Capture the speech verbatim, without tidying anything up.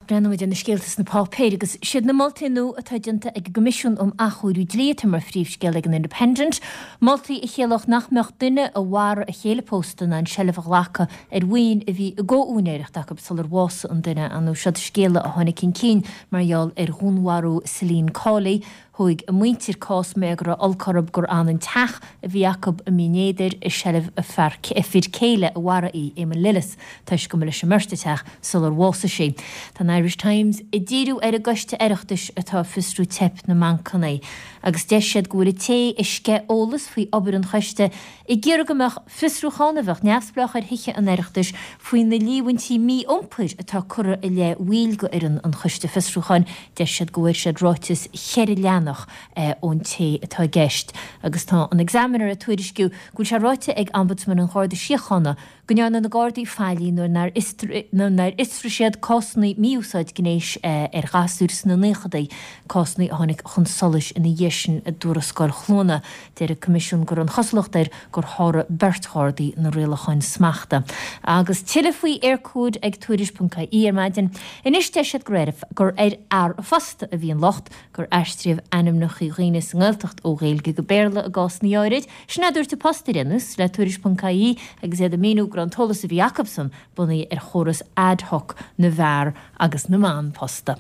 Breathnóidh muid ar na scéalta sna páipéir agus siad na moltaí nua atá déanta ag an gCoimisiún um Athchóiriú Dlí atá mar phríomhscéal ag an Independent, moltaí a chiallódh nach mbeadh duine a mharaigh a chéile pósta in ann seilbh a ghlacadh ar mhaoin a bhí i gcomhúinéireacht acu sular bhásaigh an duine. Ar ndóigh siod scéala a tháinig chun cinn mar gheall ar dhúnmharú Celine Cawley. Thóg a muintir cás mar go raibh olc orthu gur fhan an teach a bhí acu i mBinn Éadair i seilbh a fear a fir céile a mharaigh í, Eamon Lillis, toisc go mba leis an mbeirt an teach sular bhásaigh sí. Tá an Irish Times ag díriú ar an gcoiste Oireachtais atá ag fiosrú teip na mbancanna agus deir siad go bhfuil an té a sceith eolas faoi obair an choiste ag iarraidh go mbeadh fiosrúchán a bheadh neamhspleách ar Thithe an Oireachtais faoi na líomhaintí mí-iompair atá curtha i leith bhaill d'fhoireann an choiste fiosrúcháin. Deir siad go bhfuair siad ráiteas cheithre leathanach ón té atá i gceist agus tá an Examiner ag tuairisciú go bhfuil sé ráite ag Ombudsman an Gharda Síochána go ndearna na Gardaí faillí nuair nár nuair nár fhiosraigh siad cásanna mí-úsáid gnéis ar ghasúir sna naochadaí, cásanna a tháinig chun solais ina dhiaidh sin i dtuarascáil Chluana. Deir an Coimisiún go raibh an chosúlacht air gur sháraigh beirt Ghardaí na rialacháin smachta. Agus tuilleadh faoi Eircode ag tuairisc.ie ar maidin. Anois deir siad gur ar gur ar fhear an phosta a bhí an locht, gur aistríodh ainmneacha dhaoine sa nGaeltacht ó Ghaeilge go Béarla i gcásanna áirid. Sin a dúirt an Post ar aon nós le tuairisc.ie agus iad ag míniú go raibh an t-eolas a bhí acusan bunaithe ar chóras ad hoc na bhfear agus na mban posta.